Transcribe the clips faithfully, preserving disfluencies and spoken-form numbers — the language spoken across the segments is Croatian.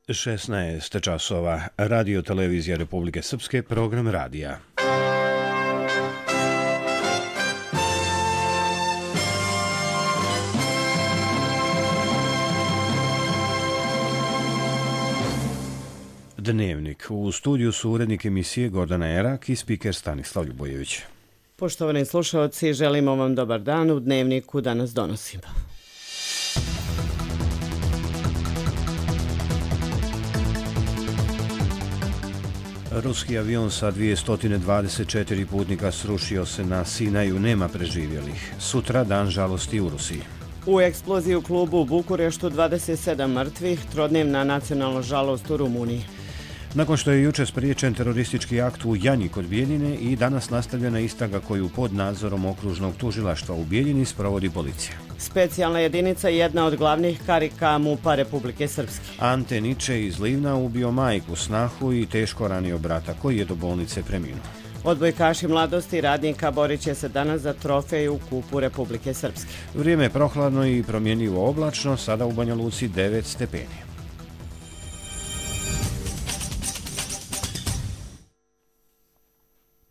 šesnaest časova. Radio Televizija Republike Srpske, program radija. Dnevnik. U studiju su urednik emisije Gordana Erak i spiker Stanislav Ljubojević. Poštovani slušalci, želimo vam dobar dan. U Dnevniku danas donosimo. Ruski avion sa dvjesto dvadeset četiri putnika srušio se na Sinaju, nema preživjelih. Sutra dan žalosti u Rusiji. U eksploziji u klubu u Bukureštu dvadeset sedam mrtvih, trodnevna nacionalna žalost u Rumuniji. Nakon što je juče spriječen teroristički akt u Janji kod Bijeljine i danas nastavljena istraga koju pod nadzorom okružnog tužilaštva u Bijeljini sprovodi policija. Specijalna jedinica je jedna od glavnih karika MUP-a Republike Srpske. Ante Niče iz Livna ubio majku, snahu i teško ranio brata koji je do bolnice preminuo. Odbojkaši mladosti radnika borit će se danas za trofej u kupu Republike Srpske. Vrijeme je prohladno i promjenjivo oblačno, sada u Banja Luci devet stepeni.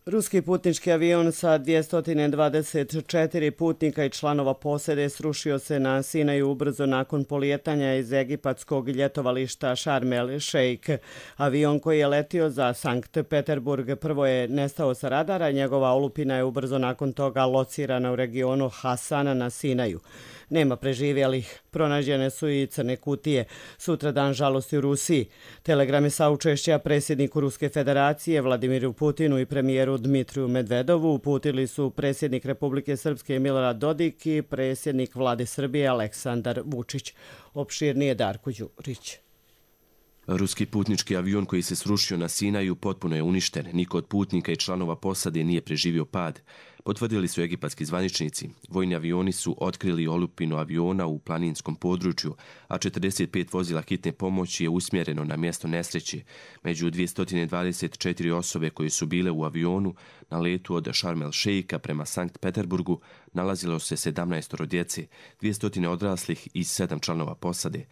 Ruski putnički avion sa dvjesto dvadeset četiri putnika i članova posade srušio se na Sinaju ubrzo nakon polijetanja iz egipatskog ljetovališta Sharm el Sheikh. Avion koji je letio za Sankt Peterburg prvo je nestao sa radara, njegova olupina je ubrzo nakon toga locirana u regionu Hasana na Sinaju. Nema preživjelih. Pronađene su i crne kutije. Sutra dan žalosti u Rusiji. Telegrami saučešća predsjedniku Ruske federacije Vladimiru Putinu i premijeru Dmitriju Medvedovu uputili su predsjednik Republike Srpske Milorad Dodik i predsjednik Vlade Srbije Aleksandar Vučić. Opširnije Darko Đurić. Ruski putnički avion koji se srušio na Sinaju potpuno je uništen. Niko od putnika i članova posade nije preživio pad. Potvrdili su egipatski zvaničnici. Vojni avioni su otkrili olupinu aviona u planinskom području, a četrdeset pet vozila hitne pomoći je usmjereno na mjesto nesreće. Među dvjesto dvadeset četiri osobe koje su bile u avionu na letu od Sharm el Sheikha prema Sankt Peterburgu nalazilo se sedamnaest djece, dvjesto odraslih i sedam članova posade.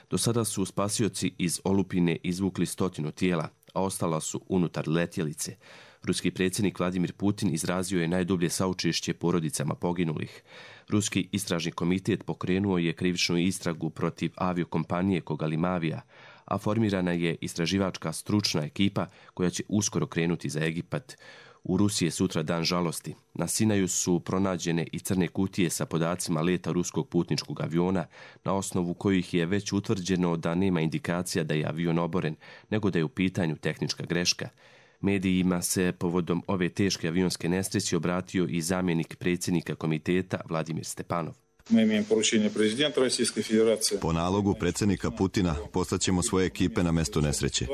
Do sada su spasioci iz olupine izvukli stotinu tijela, a ostala su unutar letjelice. Ruski predsjednik Vladimir Putin izrazio je najdublje saučešće porodicama poginulih. Ruski istražni komitet pokrenuo je krivičnu istragu protiv aviokompanije Kogalimavija, a formirana je istraživačka stručna ekipa koja će uskoro krenuti za Egipat. U Rusiji je sutra dan žalosti. Na Sinaju su pronađene i crne kutije sa podacima leta ruskog putničkog aviona, na osnovu kojih je već utvrđeno da nema indikacija da je avion oboren, nego da je u pitanju tehnička greška. Medijima se povodom ove teške avionske nesreće obratio i zamjenik predsjednika komiteta Vladimir Stepanov. Po nalogu predsjednika Putina poslaćemo svoje ekipe na mjesto nesreće.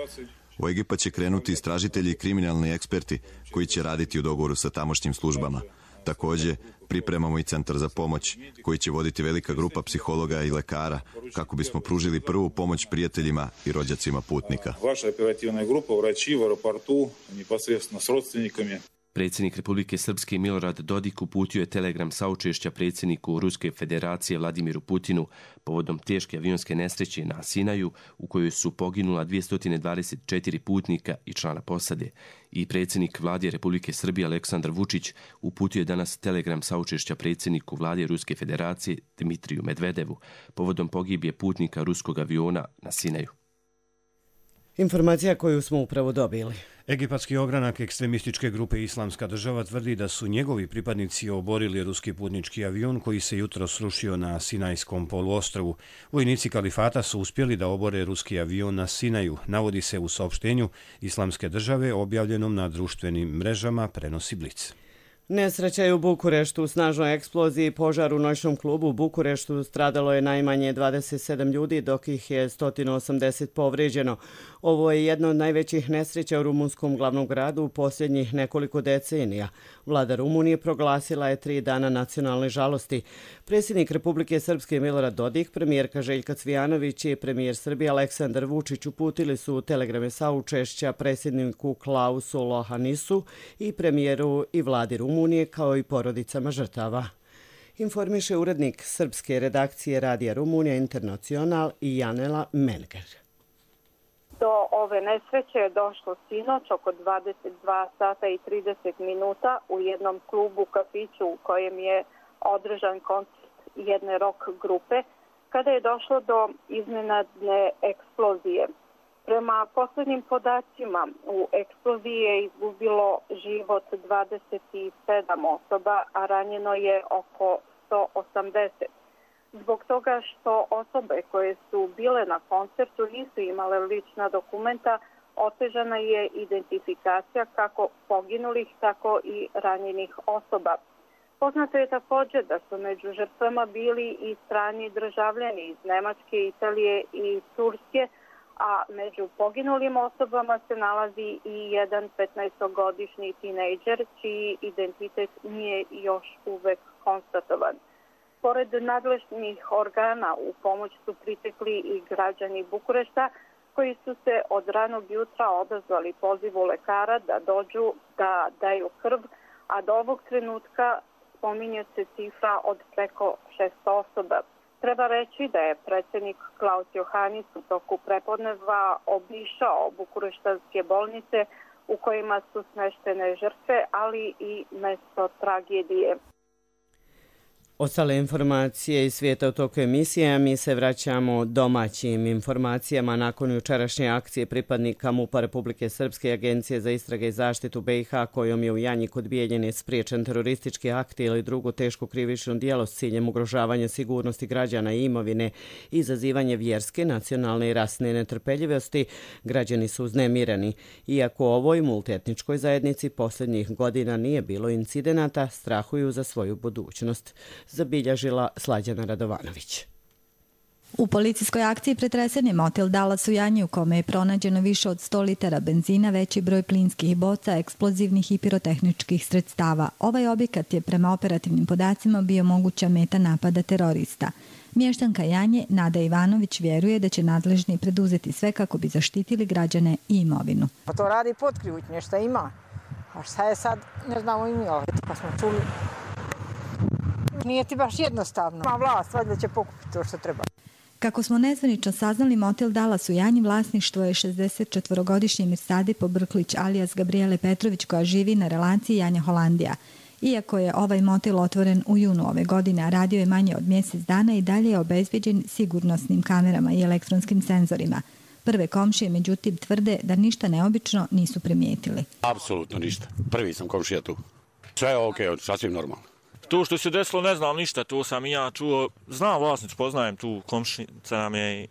U Egipat će krenuti istražitelji i kriminalni eksperti koji će raditi u dogovoru sa tamošnjim službama. Također, pripremamo i centar za pomoć koji će voditi velika grupa psihologa i lekara kako bismo pružili prvu pomoć prijateljima i rođacima putnika. Vaša operativna grupa vraći u aeroportu neposredno s rodstvenikami. Predsjednik Republike Srpske Milorad Dodik uputio je telegram saučešća predsjedniku Ruske federacije Vladimiru Putinu povodom teške avionske nesreće na Sinaju u kojoj su poginula dvjesto dvadeset četiri putnika i člana posade. I predsjednik Vlade Republike Srbije Aleksandar Vučić uputio je danas telegram saučešća predsjedniku Vlade Ruske federacije Dmitriju Medvedevu povodom pogibije putnika ruskog aviona na Sinaju. Informacija koju smo upravo dobili. Egipatski ogranak ekstremističke grupe Islamska država tvrdi da su njegovi pripadnici oborili ruski putnički avion koji se jutro srušio na Sinajskom poluostrvu. Vojnici kalifata su uspjeli da obore ruski avion na Sinaju, navodi se u saopštenju Islamske države objavljenom na društvenim mrežama, prenosi Blic. Nesreća je u Bukureštu. U snažnoj eksploziji i požaru u noćnom klubu u Bukureštu stradalo je najmanje dvadeset sedam ljudi, dok ih je sto osamdeset povrijeđeno. Ovo je jedna od najvećih nesreća u rumunskom glavnom gradu u posljednjih nekoliko decenija. Vlada Rumunije proglasila je tri dana nacionalne žalosti. Predsjednik Republike Srpske Milorad Dodik, premijerka Željka Cvijanović i premijer Srbije Aleksandar Vučić uputili su telegrame saučešća predsjedniku Klausu Lohanisu i premijeru i vladi Rumunije kao i porodicama žrtava. Informiše urednik srpske redakcije Radija Rumunija Internacional i Janela Menger. Do ove nesreće je došlo sinoć oko dvadeset dva sata i trideset minuta u jednom klubu kafiću u kojem je održan koncert jedne rock grupe, kada je došlo do iznenadne eksplozije. Prema poslednjim podacima, u eksploziji je izgubilo život dvadeset sedam osoba, a ranjeno je oko sto osamdeset. Zbog toga što osobe koje su bile na koncertu nisu imale lična dokumenta, otežana je identifikacija kako poginulih, tako i ranjenih osoba. Poznato je također da su među žrtvama bili i strani državljani iz Nemačke, Italije i Turske, a među poginulim osobama se nalazi i jedan petnaestogodišnji tinejdžer čiji identitet nije još uvek konstatovan. Pored nadležnih organa u pomoć su pritekli i građani Bukurešta koji su se od ranog jutra odazvali pozivu lekara da dođu da daju krv, a do ovog trenutka spominje se cifra od preko šesto osoba. Treba reći da je predsjednik Klaus Johannis u toku prepodneva obišao bukureštanske bolnice u kojima su smeštene žrtve, ali i mesto tragedije. Ostale informacije iz svijeta u toku emisije, a mi se vraćamo domaćim informacijama. Nakon jučerašnje akcije pripadnika MUP-a Republike Srpske i Agencije za istrage i zaštitu B i H, kojom je u Janji kod Bijeljine spriječen teroristički akt ili drugo teško krivično djelo s ciljem ugrožavanja sigurnosti građana i imovine, izazivanje vjerske, nacionalne i rasne netrpeljivosti, građani su uznemireni. Iako u ovoj multietničkoj zajednici posljednjih godina nije bilo incidenata, strahuju za svoju budućnost. Zabilježila Slađana Radovanović. U policijskoj akciji pretresen je motel Dallas u Janji u kome je pronađeno više od sto litara benzina, veći broj plinskih boca, eksplozivnih i pirotehničkih sredstava. Ovaj objekat je prema operativnim podacima bio moguća meta napada terorista. Mještanka Janje, Nada Ivanović, vjeruje da će nadležni preduzeti sve kako bi zaštitili građane i imovinu. Pa to radi potkrivutnje, šta ima. A šta je sad, ne znamo i mi ovaj, pa smo čuli. Nije ti baš jednostavno. Ma vlast, valjda će pokupiti to što treba. Kako smo nezvanično saznali, motel Dallas u Janji vlasništvo je šezdesetčetvorogodišnji Mirsadi Pobrklić alias Gabriele Petrović, koja živi na relaciji Janja-Holandija. Iako je ovaj motel otvoren u junu ove godine, a radio je manje od mjesec dana, i dalje je obezbeđen sigurnosnim kamerama i elektronskim senzorima. Prve komšije, međutim, tvrde da ništa neobično nisu primijetili. Apsolutno ništa. Prvi sam komšija tu. Sve je okej, okay, sasvim normalno. To što se desilo ne znam ništa, to sam i ja čuo. Znam vlasnicu, poznajem tu, komšinica nam je,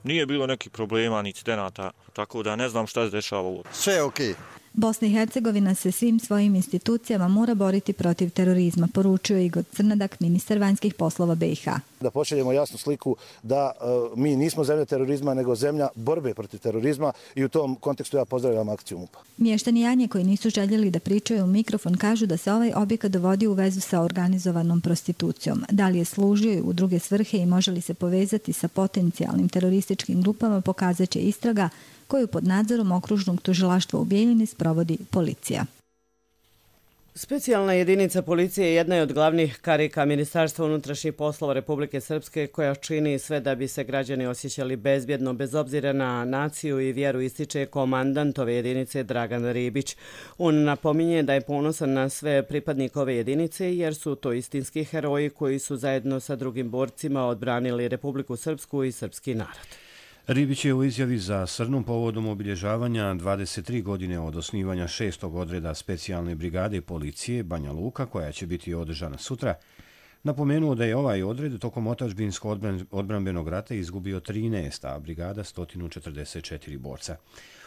nije bilo nekih problema, ni incidenata, tako da ne znam šta se dešava ovo. Sve je okej. Bosna i Hercegovina se svim svojim institucijama mora boriti protiv terorizma, poručio Igor Crnadak, ministar vanjskih poslova B i H. Da pošaljemo jasnu sliku da uh, mi nismo zemlja terorizma, nego zemlja borbe protiv terorizma, i u tom kontekstu ja pozdravljam akciju MUP-a. Mještani Janje koji nisu željeli da pričaju u mikrofon kažu da se ovaj objekat dovodi u vezu sa organizovanom prostitucijom. Da li je služio u druge svrhe i može li se povezati sa potencijalnim terorističkim grupama, pokazat će istraga koju pod nadzorom okružnog tužilaštva u Bijeljini sprovodi policija. Specijalna jedinica policije jedna je od glavnih karika Ministarstva unutrašnjih poslova Republike Srpske, koja čini sve da bi se građani osjećali bezbjedno bez obzira na naciju i vjeru, ističe komandant ove jedinice Dragan Ribić. On napominje da je ponosan na sve pripadnike ove jedinice jer su to istinski heroji koji su zajedno sa drugim borcima odbranili Republiku Srpsku i srpski narod. Ribić je u izjavi za Srnu povodom obilježavanja dvadeset tri godine od osnivanja šestog odreda specijalne brigade policije Banja Luka, koja će biti održana sutra, napomenuo da je ovaj odred tokom otadžbinskog odbrambenog rata izgubio trinaest, a brigada sto četrdeset četiri borca.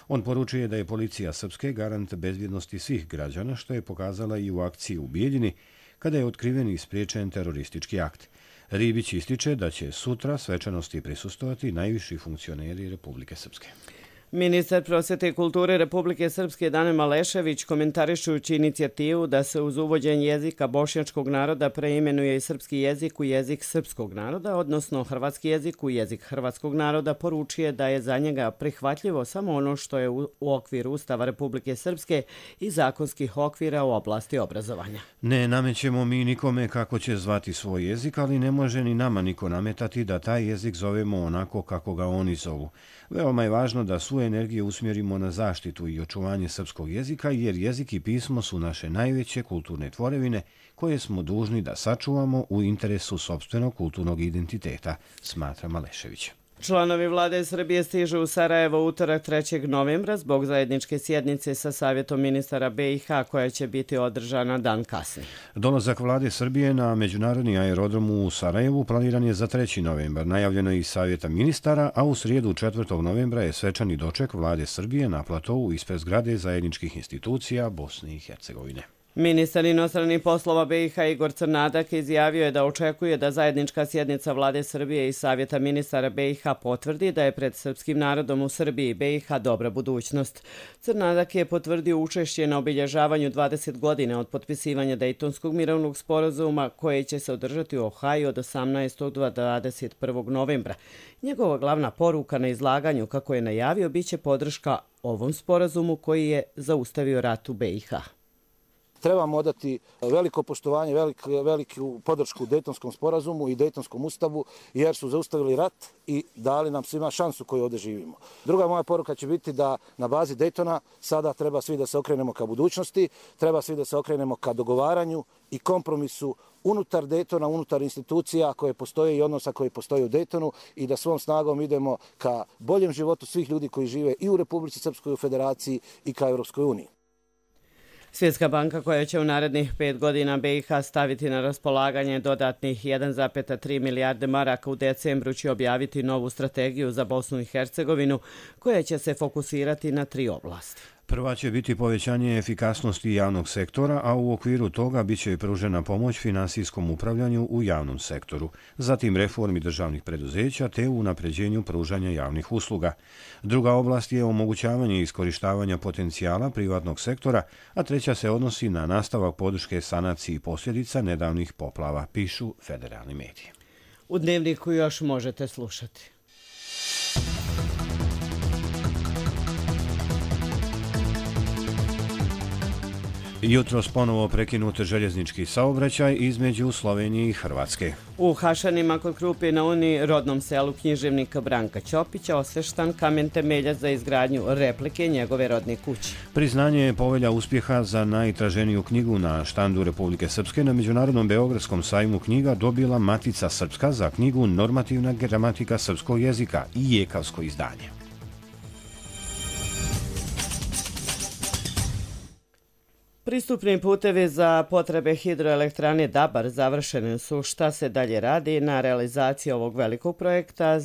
On poručuje da je policija Srpske garant bezbjednosti svih građana, što je pokazala i u akciji u Bijeljini, kada je otkriven i spriječen teroristički akt. Ribić ističe da će sutra svečanosti prisustovati najviši funkcioneri Republike Srpske. Ministar prosvjete i kulture Republike Srpske Dane Malešević, komentarišući inicijativu da se uz uvođenje jezika bošnjačkog naroda preimenuje i srpski jezik u jezik srpskog naroda, odnosno hrvatski jezik u jezik hrvatskog naroda, poručuje da je za njega prihvatljivo samo ono što je u okviru Ustava Republike Srpske i zakonskih okvira u oblasti obrazovanja. Ne namećemo mi nikome kako će zvati svoj jezik, ali ne može ni nama niko nametati da taj jezik zovemo onako kako ga oni zovu. Veoma je važno da svu dijelu energije usmjerimo na zaštitu i očuvanje srpskog jezika, jer jezik i pismo su naše najveće kulturne tvorevine koje smo dužni da sačuvamo u interesu sopstvenog kulturnog identiteta, smatra Malešević. Članovi vlade Srbije stižu u Sarajevo utorak trećeg novembra zbog zajedničke sjednice sa Savjetom ministara be i ha koja će biti održana dan kasnije. Dolazak vlade Srbije na međunarodni aerodrom u Sarajevu planiran je za treći novembar. Najavljeno je iz Savjeta ministara, a u srijedu četvrtog novembra je svečani doček vlade Srbije na platovu ispred zgrade zajedničkih institucija Bosne i Hercegovine. Ministar inostranih poslova be i ha Igor Crnadak izjavio je da očekuje da zajednička sjednica vlade Srbije i Savjeta ministara be i ha potvrdi da je pred srpskim narodom u Srbiji be i ha dobra budućnost. Crnadak je potvrdio učešće na obilježavanju dvadeset godina od potpisivanja Dejtonskog mirovnog sporazuma koje će se održati u Ohaju od osamnaestog do dvadeset prvog novembra. Njegova glavna poruka na izlaganju, kako je najavio, biće podrška ovom sporazumu koji je zaustavio rat u be i ha. Trebamo odati veliko poštovanje, velik, veliku podršku Dejtonskom sporazumu i Dejtonskom ustavu, jer su zaustavili rat i dali nam svima šansu koju ovdje živimo. Druga moja poruka će biti da na bazi Dejtona sada treba svi da se okrenemo ka budućnosti, treba svi da se okrenemo ka dogovaranju i kompromisu unutar Dejtona, unutar institucija koje postoje i odnosa koji postoje u Dejtonu i da svom snagom idemo ka boljem životu svih ljudi koji žive i u Republici Srpskoj, u Federaciji i ka Europskoj uniji. Svjetska banka, koja će u narednih pet godina be i ha staviti na raspolaganje dodatnih jedan zarez tri milijarde maraka, u decembru će objaviti novu strategiju za Bosnu i Hercegovinu koja će se fokusirati na tri oblasti. Prva će biti povećanje efikasnosti javnog sektora, a u okviru toga bit će pružena pomoć finansijskom upravljanju u javnom sektoru, zatim reformi državnih preduzeća te u unapređenju pružanja javnih usluga. Druga oblast je omogućavanje iskorištavanja potencijala privatnog sektora, a treća se odnosi na nastavak podrške sanaciji posljedica nedavnih poplava, pišu federalni mediji. U Dnevniku još možete slušati. Jutros ponovo prekinut željeznički saobraćaj između Slovenije i Hrvatske. U Hašanima kod Krupje na Uni, rodnom selu književnika Branka Ćopića, osveštan kamen temeljac za izgradnju replike njegove rodne kuće. Priznanje je povelja uspjeha za najtraženiju knjigu na štandu Republike Srpske na Međunarodnom Beogradskom sajmu knjiga dobila Matica Srpska za knjigu Normativna gramatika srpskog jezika i jekavsko izdanje. Pristupni putevi za potrebe hidroelektrane Dabar završeni su. Šta se dalje radi na realizaciji ovog velikog projekta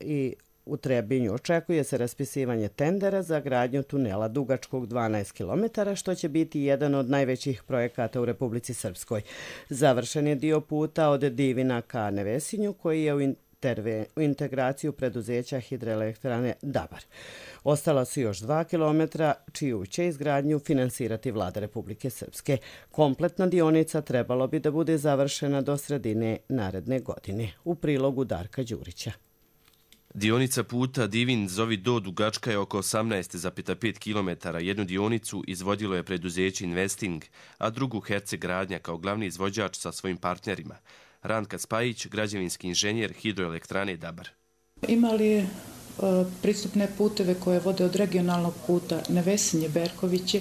i u Trebinju očekuje se raspisivanje tendera za gradnju tunela dugačkog dvanaest kilometara, što će biti jedan od najvećih projekata u Republici Srpskoj. Završen je dio puta od Divina ka Nevesinju, koji je u u integraciju preduzeća hidroelektrane Dabar. Ostala su još dva kilometra, čiju će izgradnju finansirati vlada Republike Srpske. Kompletna dionica trebalo bi da bude završena do sredine naredne godine. U prilogu Darka Đurića. Dionica puta Divin Zovi Do dugačka je oko osamnaest zarez pet kilometara. Jednu dionicu izvodilo je preduzeće Investing, a drugu Herceg Gradnja kao glavni izvođač sa svojim partnerima. Ranka Spajić, građevinski inženjer hidroelektrane Dabar. Imali e, pristupne puteve koje vode od regionalnog puta Nevesinje Berkoviće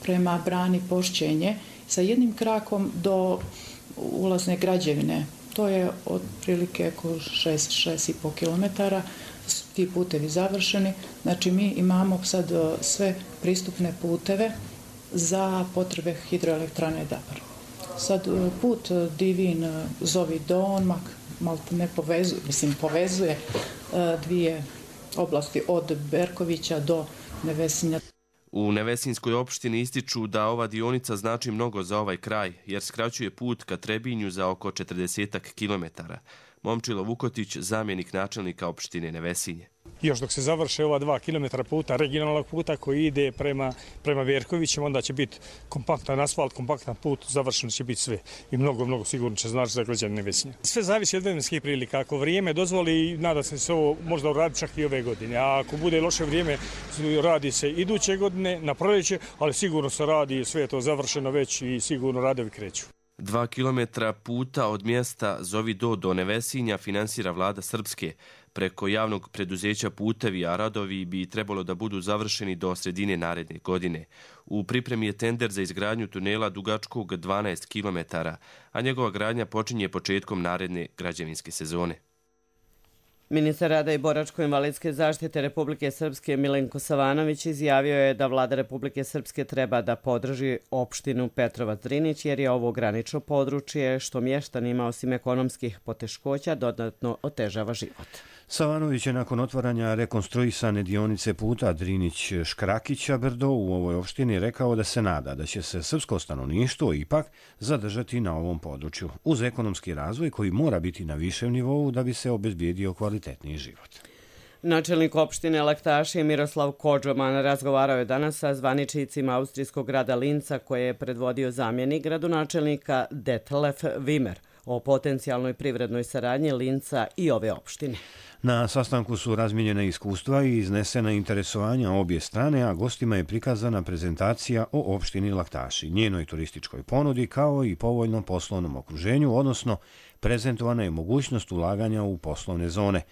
prema brani Pošćenje sa jednim krakom do ulazne građevine. To je otprilike oko šest do šest i po kilometara. Ti putevi završeni. Znači mi imamo sad sve pristupne puteve za potrebe hidroelektrane Dabar. Sad put Divin Zovi Do, on malo ne povezuje, mislim povezuje dvije oblasti od Berkovića do Nevesinja. U Nevesinskoj opštini ističu da ova dionica znači mnogo za ovaj kraj, jer skraćuje put ka Trebinju za oko četrdeset kilometara. Momčilo Vukotić, zamjenik načelnika opštine Nevesinje. Još dok se završe ova dva kilometra puta, regionalnog puta koji ide prema, prema Verkovićem, onda će biti kompaktan asfalt, kompaktan put, završeno će biti sve. I mnogo, mnogo sigurno će znači za građane Nevesinja. Sve zavisi od vremenskih prilika. Ako vrijeme dozvoli, nada se se ovo možda uraditi čak i ove godine. A ako bude loše vrijeme, radi se iduće godine, na proljeće, ali sigurno se radi, sve je to završeno već i sigurno radovi kreću. Dva kilometra puta od mjesta Zovi Do do Nevesinja finansira vlada Srpske. preko javnog preduzeća Putevi, a radovi bi trebalo da budu završeni do sredine naredne godine. U pripremi je tender za izgradnju tunela dugačkog dvanaest kilometara, a njegova gradnja počinje početkom naredne građevinske sezone. Ministar rada i boračko-invalidske zaštite Republike Srpske Milenko Savanović izjavio je da vlada Republike Srpske treba da podrži opštinu Petrovac-Drinić jer je ovo granično područje što mještanima osim ekonomskih poteškoća dodatno otežava život. Savanović je nakon otvaranja rekonstruisane dionice puta Drinić-Škrakića-Brdo u ovoj opštini rekao da se nada da će se srpsko stanovništvo ipak zadržati na ovom području, uz ekonomski razvoj koji mora biti na višem nivou da bi se obezbijedio kvalitetniji život. Načelnik opštine Laktaši Miroslav Kodžoman razgovarao je danas sa zvaničnicima austrijskog grada Linca koje je predvodio zamjenik gradonačelnika Detlef Wimmer o potencijalnoj privrednoj saradnji Linca i ove opštine. Na sastanku su razmijenjena iskustva i iznesena interesovanja obje strane, a gostima je prikazana prezentacija o opštini Laktaši, njenoj turističkoj ponudi kao i povoljnom poslovnom okruženju, odnosno prezentovana je mogućnost ulaganja u poslovne zone.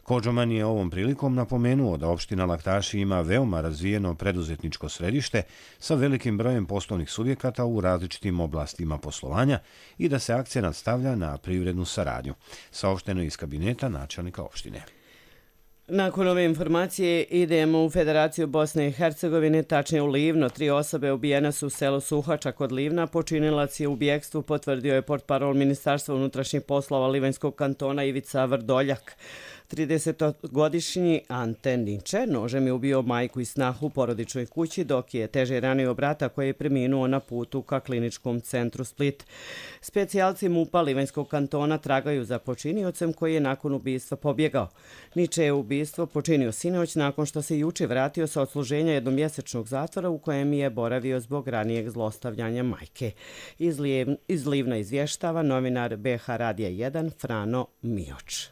Kodžoman je ovom prilikom napomenuo da opština Laktaši ima veoma razvijeno preduzetničko središte sa velikim brojem poslovnih subjekata u različitim oblastima poslovanja i da se akcenat stavlja na privrednu saradnju, saopšteno iz kabineta načelnika opštine. Nakon ove informacije idemo u Federaciju Bosne i Hercegovine, tačnije u Livno. Tri osobe ubijene su u selu Suhača kod Livna. Počinilac je u bijegstvu, potvrdio je portparol Ministarstva unutrašnjih poslova Livanjskog kantona Ivica Vrdoljak. tridesetogodišnji Ante Niče nožem je ubio majku i snahu u porodičnoj kući, dok je teže ranio brata koji je preminuo na putu ka kliničkom centru Split. Specijalci MUP-a Livanjskog kantona tragaju za počiniocem koji je nakon ubistva pobjegao. Niče je ubistvo počinio sinoć nakon što se juče vratio sa odsluženja jednomjesečnog zatvora u kojem je boravio zbog ranijeg zlostavljanja majke. Iz, Lijev, iz Livna izvještava novinar B H Radija jedan Frano Mioč.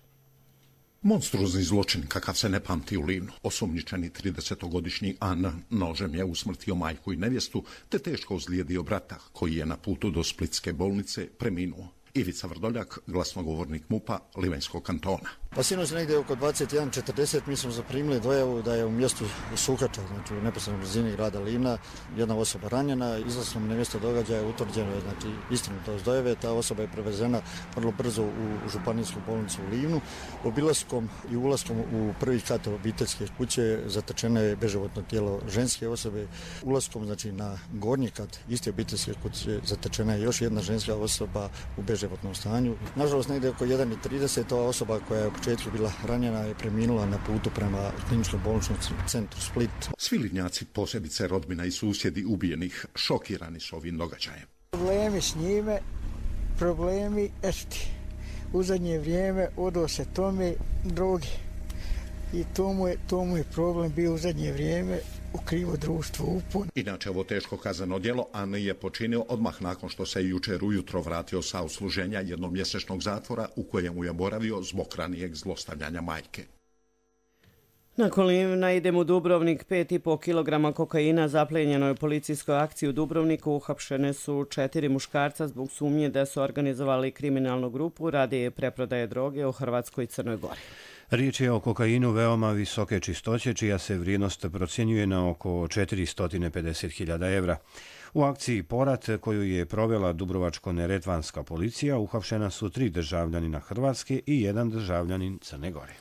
Monstruozni zločin kakav se ne pamti u Livnu. Osumnjičeni tridesetogodišnji An nožem je usmrtio majku i nevjestu te teško ozlijedio brata koji je na putu do splitske bolnice preminuo. Ivica Vrdoljak, glasnogovornik MUP-a Livanjskog kantona. Pa sinoć negdje oko dvadeset jedan četrdeset mi smo zaprimili dojavu da je u mjestu Suhača, znači u neposrednoj blizini grada Livna, jedna osoba ranjena. Izlaskom na mjesto događaja utvrđeno je znači istinitost dojave. Ta osoba je prevezena vrlo brzo u županijsku bolnicu u Livnu. Obilaskom i ulaskom u prvi kat obiteljske kuće zatečeno je beživotno tijelo ženske osobe. Ulaskom znači na gornji kat iste obiteljske kuće zatečena je još jedna ženska osoba u beživotnom stanju. Nažalost, negdje oko jedan i trideset ova osoba koja je u početku bila ranjena je preminula na putu prema kliničkom bolničkom centru Split. Svi Livnjaci, posebice rodbina i susjedi ubijenih, šokirani su ovim događajem. Problemi s njime, problemi esti. U zadnje vrijeme odo se tome droge i to mu je, to mu je problem bio u zadnje vrijeme u krivo društvo upun. Inače, ovo teško kazneno djelo An je počinio odmah nakon što se jučer ujutro vratio sa odsluženja jednomjesečnog zatvora u kojemu je boravio zbog ranijeg zlostavljanja majke. Nakon Livna idemo u Dubrovnik. pet i po kilograma kokaina zaplenjeno je u policijskoj akciji u Dubrovniku. Uhapšene su četiri muškarca zbog sumnje da su organizovali kriminalnu grupu radi preprodaje droge u Hrvatskoj i Crnoj Gori. Riječ je o kokainu veoma visoke čistoće, čija se vrijednost procjenjuje na oko četiristo pedeset hiljada evra. U akciji Porat, koju je provela Dubrovačko-neretvanska policija, uhapšena su tri državljanina Hrvatske i jedan državljanin Crne Gore.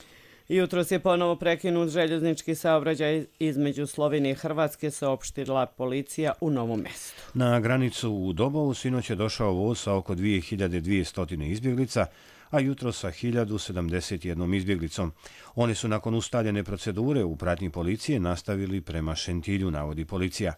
Jutros je ponovo prekinut željeznički saobraćaj između Slovenije i Hrvatske, saopštila policija u Novom Mestu. Na granicu u Dobovu sinoć je došao voz sa oko dvije hiljade dvjesto izbjeglica, a jutro sa hiljadu sedamdeset jednom izbjeglicom. Oni su nakon ustaljene procedure u pratnji policije nastavili prema Šentilju, navodi policija.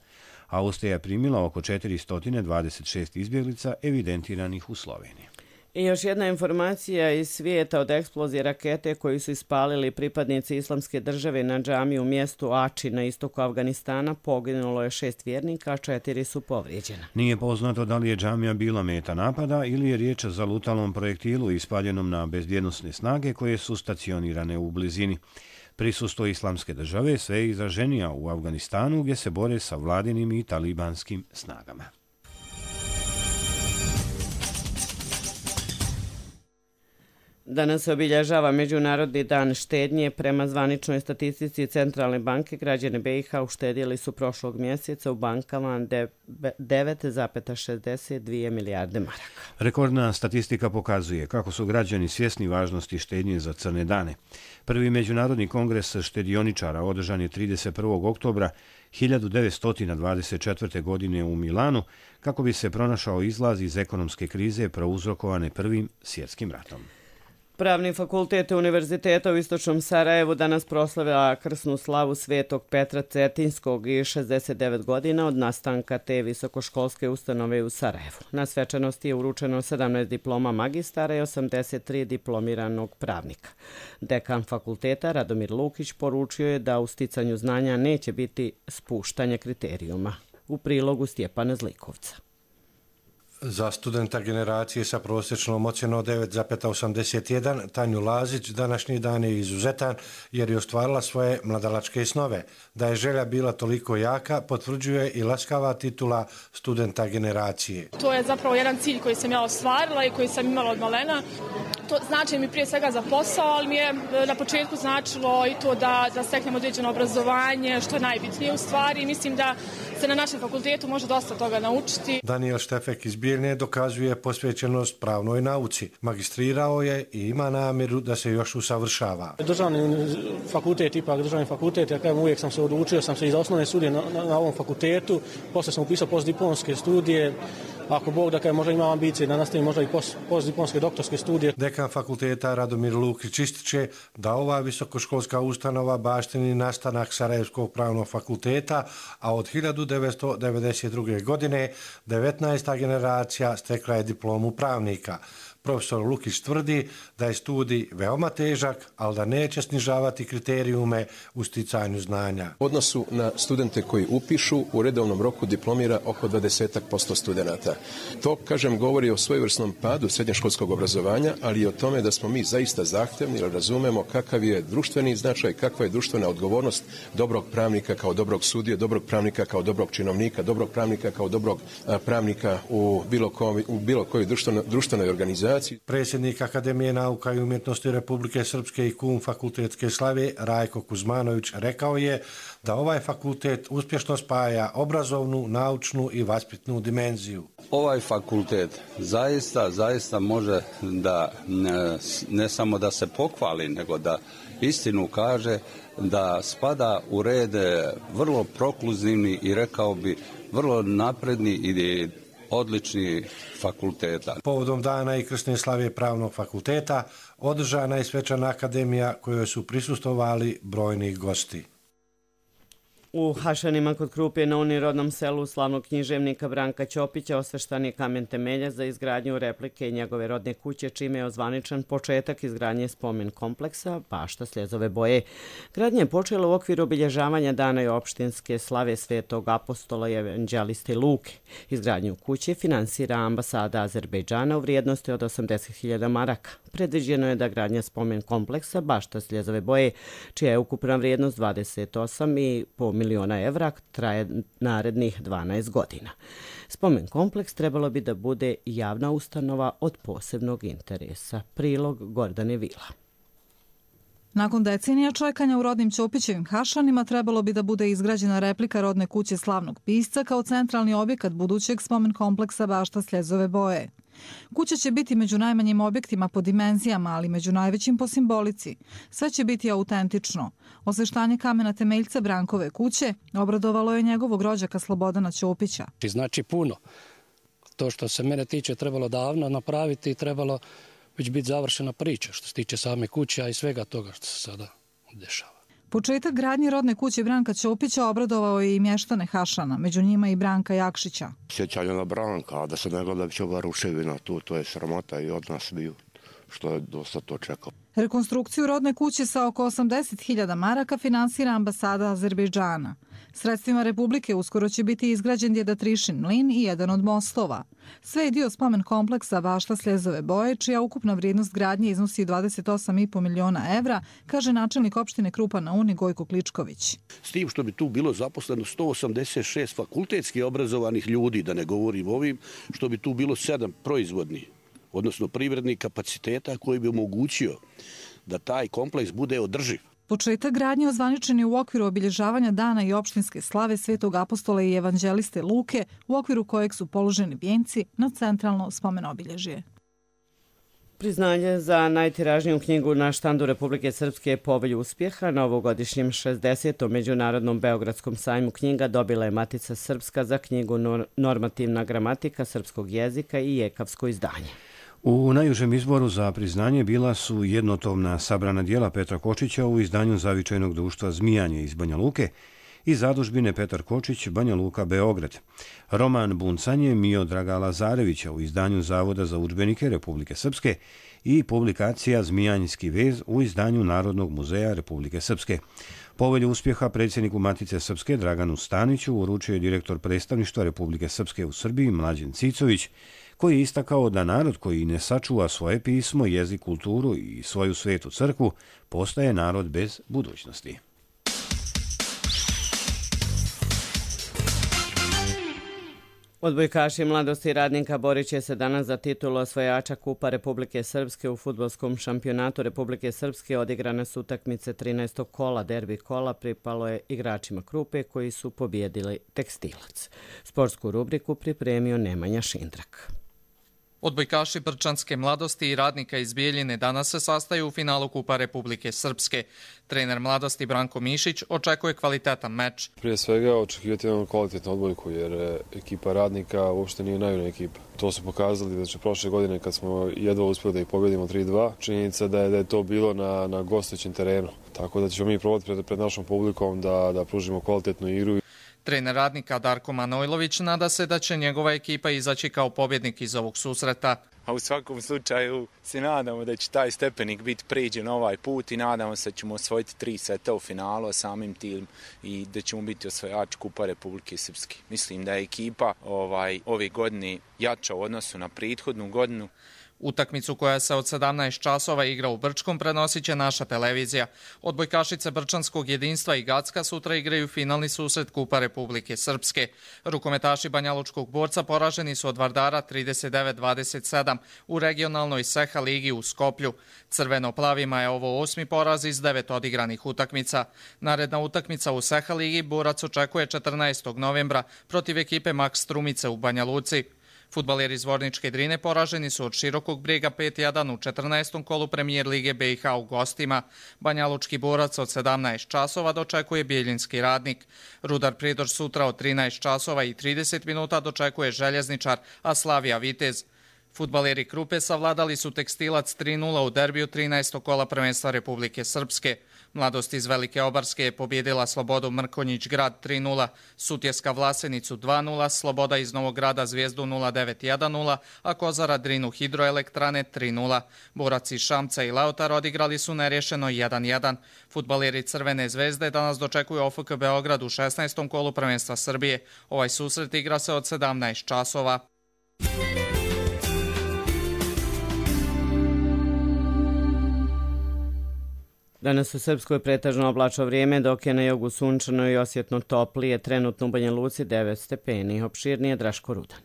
Austrija je primila oko četiristo dvadeset šest izbjeglica evidentiranih u Sloveniji. I još jedna informacija iz svijeta od eksplozije rakete koju su ispalili pripadnici Islamske države na džamiju u mjestu Ači na istoku Afganistana. Poginulo je šest vjernika, a četiri su povrijeđena. Nije poznato da li je džamija bila meta napada ili je riječ o zalutalom projektilu ispaljenom na bezbjednosne snage koje su stacionirane u blizini. Prisustvo Islamske države sve je izraženija u Afganistanu gdje se bore sa vladinim i talibanskim snagama. Danas se obilježava Međunarodni dan štednje. Prema zvaničnoj statistici Centralne banke, građani B i H uštedjeli su prošlog mjeseca u bankama devet zarez šezdeset dvije milijarde maraka. Rekordna statistika pokazuje kako su građani svjesni važnosti štednje za crne dane. Prvi Međunarodni kongres štedioničara održan je trideset prvog oktobra hiljadu devetsto dvadeset četvrte. godine u Milanu kako bi se pronašao izlaz iz ekonomske krize prouzrokovane Prvim svjetskim ratom. Pravni fakultet Univerziteta u Istočnom Sarajevu danas proslavila krsnu slavu Svetog Petra Cetinskog i šezdeset devet godina od nastanka te visokoškolske ustanove u Sarajevu. Na svečanosti je uručeno sedamnaest diploma magistara i osamdeset tri diplomiranog pravnika. Dekan fakulteta Radomir Lukić poručio je da u sticanju znanja neće biti spuštanje kriterijuma. U prilogu Stjepana Zlikovca. Za studenta generacije sa prosječnom ocjenom devet zarez osamdeset jedan, Tanju Lazić, današnji dan je izuzetan jer je ostvarila svoje mladalačke snove. Da je želja bila toliko jaka, potvrđuje i laskava titula studenta generacije. To je zapravo jedan cilj koji sam ja ostvarila i koji sam imala od malena. To znači mi prije svega za posao, ali mi je na početku značilo i to da, da steknem određeno obrazovanje, što je najbitnije u stvari. Mislim da se na našem fakultetu može dosta toga naučiti. Daniel Štefek iz Bijeljne dokazuje posvećenost pravnoj nauci. Magistrirao je i ima namjeru da se još usavršava. Državni fakultet, ipak državni fakultet, ja kažem, uvijek sam se odlučio, sam se i za osnovne studije na, na, na ovom fakultetu, poslije sam upisao postdiplomske studije. Ako Bog da kažem, možda ima ambicije da nastavim možda i post, postdiplomske doktorske studije. Dekan fakulteta Radomir Lukić ističe da ova visokoškolska ustanova baštini nastanak Sarajevskog pravnog fakulteta, a od hiljadu devetsto devedeset druge. godine devetnaesta generacija stekla je diplomu pravnika. Profesor Lukić tvrdi da je studij veoma težak, ali da neće snižavati kriterijume u sticanju znanja. U odnosu na studente koji upišu, u redovnom roku diplomira oko dvadeset posto studenata. To, kažem, govori o svojevrsnom padu srednjoškolskog obrazovanja, ali i o tome da smo mi zaista zahtevni, jer razumemo kakav je društveni značaj, kakva je društvena odgovornost dobrog pravnika kao dobrog sudije, dobrog pravnika kao dobrog činovnika, dobrog pravnika kao dobrog a, pravnika u bilo, ko, u bilo kojoj društveno, društvenoj organizaciji. Predsjednik Akademije nauka i umjetnosti Republike Srpske i kum fakultetske slave Rajko Kuzmanović rekao je da ovaj fakultet uspješno spaja obrazovnu, naučnu i vaspitnu dimenziju. Ovaj fakultet zaista, zaista može da ne, ne samo da se pohvali, nego da istinu kaže da spada u red vrlo prokluzivni i rekao bi vrlo napredni i odlični fakulteta. Povodom dana i krsne slave pravnog fakulteta održana je svečana akademija kojoj su prisustvovali brojni gosti. U Hašanima kod Krupje na unirodnom selu slavnog književnika Branka Ćopića osveštan je kamen temelja za izgradnju replike njegove rodne kuće, čime je ozvaničan početak izgradnje spomen kompleksa Bašta Sljezove boje. Gradnja je počela u okviru obilježavanja dana i opštinske slave Svetog apostola i evanđeliste Luke. Izgradnju kuće finansira ambasada Azerbejdžana u vrijednosti od osamdeset hiljada maraka. Predviđeno je da gradnja spomen kompleksa Bašta Sljezove boje, čija je ukupna vrijednost dvadeset osam i po miliona evra, traje narednih dvanaest godina. Spomen kompleks trebalo bi da bude javna ustanova od posebnog interesa. Prilog Gordane Vila. Nakon decenija čekanja u rodnim Ćopićevim Hašanima trebalo bi da bude izgrađena replika rodne kuće slavnog pisca kao centralni objekat budućeg spomen kompleksa Bašta Sljezove boje. Kuća će biti među najmanjim objektima po dimenzijama, ali među najvećim po simbolici. Sve će biti autentično. Osveštanje kamena temeljca Brankove kuće obradovalo je njegovog rođaka Slobodana Ćopića. Znači puno. To što se mene tiče trebalo davno napraviti i trebalo već biti završena priča što se tiče same kuće, a i svega toga što se sada dešava. Početak gradnje rodne kuće Branka Ćopića obradovao je i mještane Hašana, među njima i Branka Jakšića. Sjećanje na Branka, a da se ne gleda već ova ruševina tu, to je sramota i od nas bio, što je dosta to čekao. Rekonstrukciju rodne kuće sa oko osamdeset hiljada maraka finansira ambasada Azerbejdžana. Sredstvima Republike uskoro će biti izgrađen Djedatrišin mlin i jedan od mostova. Sve je dio spomen kompleksa Bašta Sljezove boje, čija ukupna vrijednost gradnje iznosi dvadeset osam i po miliona evra, kaže načelnik opštine Krupa na Uni Gojko Kličković. S tim što bi tu bilo zaposleno sto osamdeset šest fakultetski obrazovanih ljudi, da ne govorim ovim, što bi tu bilo sedam proizvodnih odnosno privrednih kapaciteta koji bi omogućio da taj kompleks bude održiv. Početak gradnje ozvaničen je u okviru obilježavanja dana i opštinske slave Svetog apostola i evanđeliste Luke, u okviru kojeg su položeni vijenci na centralno spomen obilježje. Priznanje za najtiražniju knjigu na štandu Republike Srpske je Povelj uspjeha. Na ovogodišnjem šezdesetom Međunarodnom Beogradskom sajmu knjiga dobila je Matica Srpska za knjigu Normativna gramatika srpskog jezika i jekavsko izdanje. U najužem izboru za priznanje bila su jednotomna sabrana dijela Petra Kočića u izdanju Zavičajnog društva Zmijanje iz Banja Luke i zadužbine Petar Kočić, Banja Luka, Beograd. Roman Buncanje Miodraga Lazarevića u izdanju Zavoda za udžbenike Republike Srpske i publikacija Zmijanjski vez u izdanju Narodnog muzeja Republike Srpske. Povelju uspjeha predsjedniku Matice Srpske Draganu Staniću uručio je direktor predstavništva Republike Srpske u Srbiji Mlađen Cicović, koji je istakao da narod koji ne sačuva svoje pismo, jezik, kulturu i svoju svetu crkvu postaje narod bez budućnosti. Odbojkaši Mladosti Radnika borit će se danas za titulu osvajača Kupa Republike Srpske u fudbalskom šampionatu Republike Srpske. Odigrane su utakmice trinaestog kola, derbi kola pripalo je igračima Krupe koji su pobjedili Tekstilac. Sportsku rubriku pripremio Nemanja Šindrak. Odbojkaši Brčanske Mladosti i Radnika iz Bijeljine danas se sastaju u finalu Kupa Republike Srpske. Trener Mladosti Branko Mišić očekuje kvalitetan meč. Prije svega očekivati jednu kvalitetnu odbojku jer ekipa Radnika uopšte nije najbolja ekipa. To su pokazali znači, prošle godine kad smo jedva uspjeli da ih pobjedimo tri dva. Činjenica da je, da je to bilo na, na gostujućem terenu. Tako da ćemo mi probati pred, pred našom publikom da, da pružimo kvalitetnu igru. Trener Radnika Darko Manojlović nada se da će njegova ekipa izaći kao pobjednik iz ovog susreta. A u svakom slučaju se nadamo da će taj stepenik biti prijeđen ovaj put i nadamo se da ćemo osvojiti tri seta u finalu, a samim tim i da ćemo biti osvajač Kupa Republike Srpske. Mislim da je ekipa ovaj, ove godine jača u odnosu na prethodnu godinu. Utakmicu koja se od sedamnaest časova igra u Brčkom prenosit će naša televizija. Odbojkašice Brčanskog jedinstva i Gacka sutra igraju finalni susret Kupa Republike Srpske. Rukometaši Banjalučkog borca poraženi su od Vardara trideset devet dvadeset sedam u regionalnoj Seha ligi u Skoplju. Crveno-plavima je ovo osmi poraz iz devet odigranih utakmica. Naredna utakmica u Seha ligi borac očekuje četrnaestog novembra protiv ekipe Max Strumice u Banja Luci. Fudbaleri iz Vorničke Drine poraženi su od Širokog Brega pet jedan u četrnaestom kolu premijer lige B i H u gostima. Banjalučki borac od sedamnaest časova dočekuje Bijeljinski Radnik. Rudar Prijedor sutra od trinaest časova i trideset minuta dočekuje Željezničar, a Slavija Vitez. Fudbaleri Krupe savladali su Tekstilac tri nula u derbiju trinaestog kola prvenstva Republike Srpske. Mladost iz Velike Obarske je pobjedila Slobodu Mrkonjić Grad tri nula, Sutjeska Vlasenicu dva nula, Sloboda iz Novog Grada Zvijezdu nula devet jedan nula, a Kozara Drinu Hidroelektrane tri nula. Borac iz Šamca i Leotar odigrali su nerješeno jedan jedan. Fudbaleri Crvene zvezde danas dočekuju O F K Beograd u šesnaestom kolu prvenstva Srbije. Ovaj susret igra se od sedamnaest časova. Danas u Srpskoj pretežno oblačno vrijeme, dok je na jugu sunčano i osjetno toplije, trenutno u Banja Luci devet stepeni. Opširnije Draško Rudan.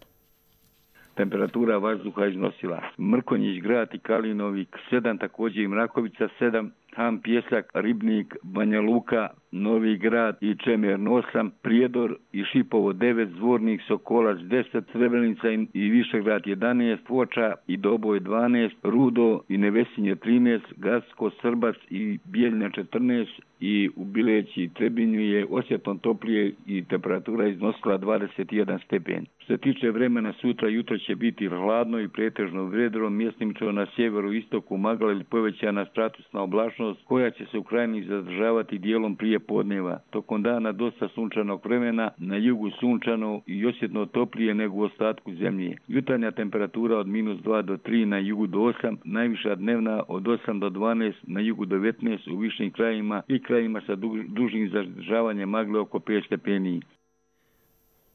Temperatura vazduha iznosila Mrkonjić Grad i Kalinovik sedam, također i Mrakovica sedam, Ham Pjesak, Ribnik, Banja Luka, Novi Grad i Čemer osam, Prijedor i Šipovo devet, Zvornik, Sokolac deset, Srebrenica i Višegrad jedanaest, Foča i Doboj dvanaest, Rudo i Nevesinje trinaest, Gacko, Srbac i Bijeljna četrnaest i u Bileći i Trebinju je osjetno toplije i temperatura iznosila dvadeset jedan stepen. Što se tiče vremena, sutra jutro će biti hladno i pretežno vedro, mjestimično na sjeveru istoku magla ili povećana statusna oblačnost koja će se u krajini zadržavati dijelom prije podneva. Tokom dana dosta sunčanog vremena, na jugu sunčano i osjetno toplije nego u ostatku zemlje. Jutarnja temperatura od minus dva do tri, na jugu do osam, najviša dnevna od osam do dvanaest, na jugu do devetnaest, u višim krajima i krajima sa dužim zadržavanjem magle oko pet stepeni.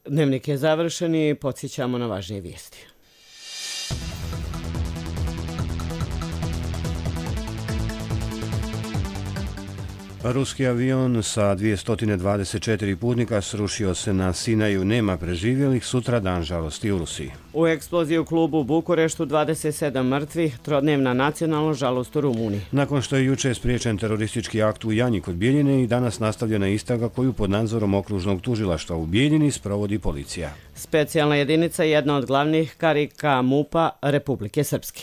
Dnevnik je završen i podsjećamo na važnije vijesti. Ruski avion sa dvjesto dvadeset četiri putnika srušio se na Sinaju, nema preživjelih, sutra dan žalosti u Rusiji. U eksploziji u klubu u Bukureštu dvadeset sedam mrtvih, trodnevna nacionalna žalost u Rumuniji. Nakon što je juče spriječen teroristički akt u Janji kod Bijeljine i danas nastavljena istraga koju pod nadzorom okružnog tužilaštva u Bijeljini sprovodi policija. Specijalna jedinica je jedna od glavnih karika MUP-a Republike Srpske.